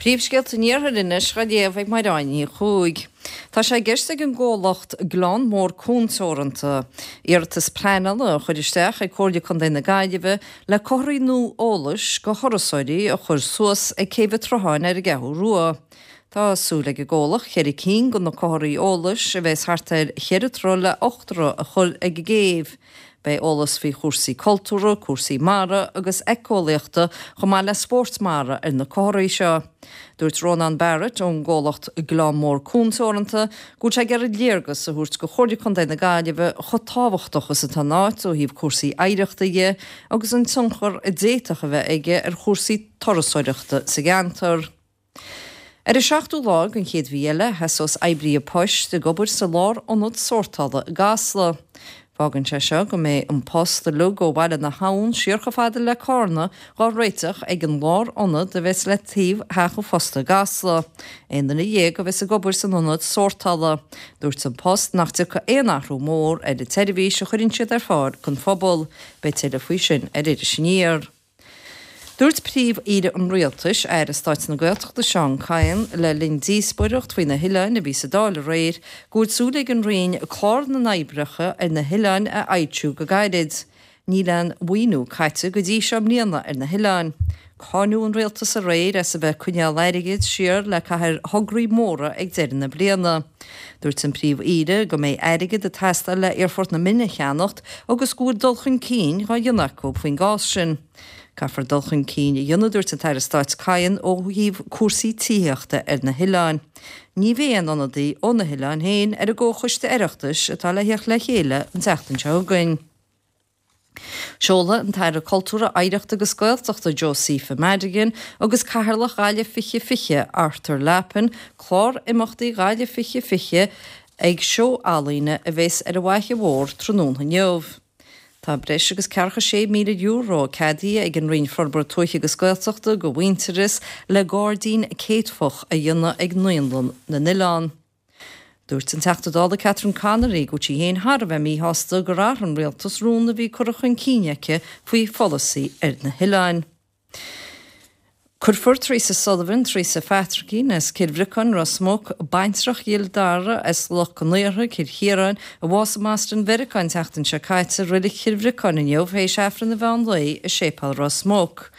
Príomhscéalta an Iarthair anois á léamh ag Mairéad Ní Chuaig. Tá sé i gceist ag an gcomhlacht Gleann Mór Cuan Teoranta iarratas pleanála a chur isteach ag Comhairle Contae na Gaillimhe le comharthaí nua eolais go thurasóirí a chur suas ag Céibh an tSrutháin ar an gCeathrú Rua. Tá súil ag an gcomhlacht cheithre cinn de na comharthaí eolais a bheas thart ar cheithre troigh le hocht dtroigh a chur ag an gcéibh. Beidh eolas faoi chúrsaí cultúrtha, cúrsaí mara agus éiceolaíochta chomh maith le spóirt mara ar na comharthaí seo. Dúirt Rónán Barrett ón gcomhlacht Gleann Mór Cuan Teoranta go bhfuil sé ag iarraidh léargas a thabhairt go Chomhairle Contae na Gaillimhe chomh tábhachtach is atá an áit ó thaobh cúrsaí oidhreachta dhe agus an tionchar a d'fhéadfadh a bheith aige ar chúrsaí turasóireachta sa gceantar. Ar an seachtú lá den chéad mhí eile, sheasós oibrithe poist ag obair sa lár-ionad sórtála i gCasla. Fágann sé seo go mbeidh an post uilig ó Bhaile na hAbhann siar chomh fada le Cárna dhá réiteach ag an lár-ionad a bheas le taobh Theach an Phosta i gCasla. 11 duine a bheas ag obair san ionad sórtála. Dúirt An Post nach dtiocfaidh aon athrú mór ar an tseirbhís a chuireann siad ar fáil don phobal. Beidh tuilleadh faoi sin ar Iris Aniar. Dúirt Príomh-Aoire an Rialtais, Aire Stáit na Gaeltachta Seán Kyne, le linn díospóireacht faoi na hoileáin a bhí sa Dáil aréir, go bhfuil súil ag an Roinn clár na n-oibreacha ar na hoileáin a fhoilsiú go gairid. Níl aon mhaoiniú caite go dtí seo i mbliana ar na hoileáin. Cáineadh an Rialtas aréir as a bheith ag coinneáil airgid siar le caitheamh ar thograí móra ag deireadh na bliana. Dúirt an Príomh-Aoire go mbeidh airgead ag teastáil le Aerfort na Minne a cheannacht agus go bhfuil dul chun cinn dhá dhéanamh acu faoin gcás sin. Caithfear dul chun cinn a dhéanamh, dúirt an tAire Stáit Kyne, ó thaobh cúrsaí tithíochta ar na hoileáin. Ní bheidh aon ionadaí ó na hoileáin féin ar an gComhchoiste Oireachtais atá le theacht le chéile an tseachtain seo chugainn. Seolfaidh an tAire Cultúrtha, Oidhreachta agus Gaeltachta Josepha Madigan agus Cathaoirleach Ghaillimh 2020 Arthur Lappin clár imeachtaí Ghaillimh 2020 ag seó ealaíne a bheas ar an bhFaiche Mhór tráthnóna inniu. Tá breis agus ceathracha €6,000 ceadaithe ag an Roinn Forbartha Tuaithe agus Gaeltachta go Mhuintearas le gairdín céadfach a dhéanamh ag Naíolann na nOileán. Dúirt an Teachta Dála Catherine Connolly go bhfuil sí féin thar a bheith míshásta gur athraigh an rialtas rún a bhí curtha chun cinn aici faoi pholasaí ar na hoileáin. Cuirfear Teresa Sullivan, Teresa Phatraicín as Cill Bhriocáin, Ros Muc, baintreach Ghill Dara as Loch an Iarthair, Cill Chiaráin, a bhásaigh i mBoston Mheiriceá an tseachtain seo caite, i Reilig Chill Bhriocáin inniu théis Aifreann an mheán lae i Séipéal Ros Muc.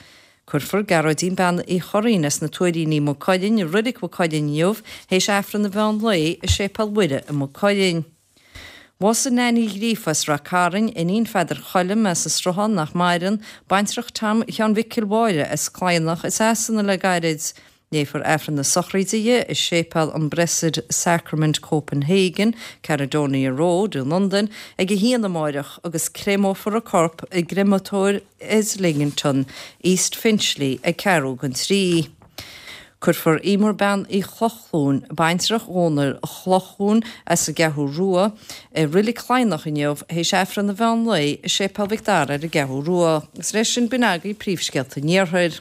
Cuirfear Gearóidín Bean Uí Churraoin as na Tuairíní Maigh Cuilinn i Reilig Mhaigh Cuilinn inniu théis Aifreann an mheán lae i Séipéal Mhuire i Maigh Cuilinn. Bhásaigh Nan Uí Ghríofa as Rath Cairn, iníon Pheadair Choilm as an Sruthán nach maireann, baintreach Tom Sheáin Mhicil Mháire as Cladhnach i Sasana le gairid. Léifear Aifreann na sochraide di i Séipéal an Blessed Sacrament Copenhagen, Caledonia Road i Londain ag a haon amáireach agus créamófar a corp i gcreamatóir Islington, East Finchley ag ceathrú don trí. Cuirfear Emer Bean Uí Chlochlúin, baintreach Dhónaill Chlochlúin as an gCeathrú Rua, i Reilig Chladhnach inniu théis Aifreann an mheán lae i Séipéal Mhic Dara ar an gCeathrú Rua. Agus leis sin b'in agaibh príomhscéalta an Iarthair.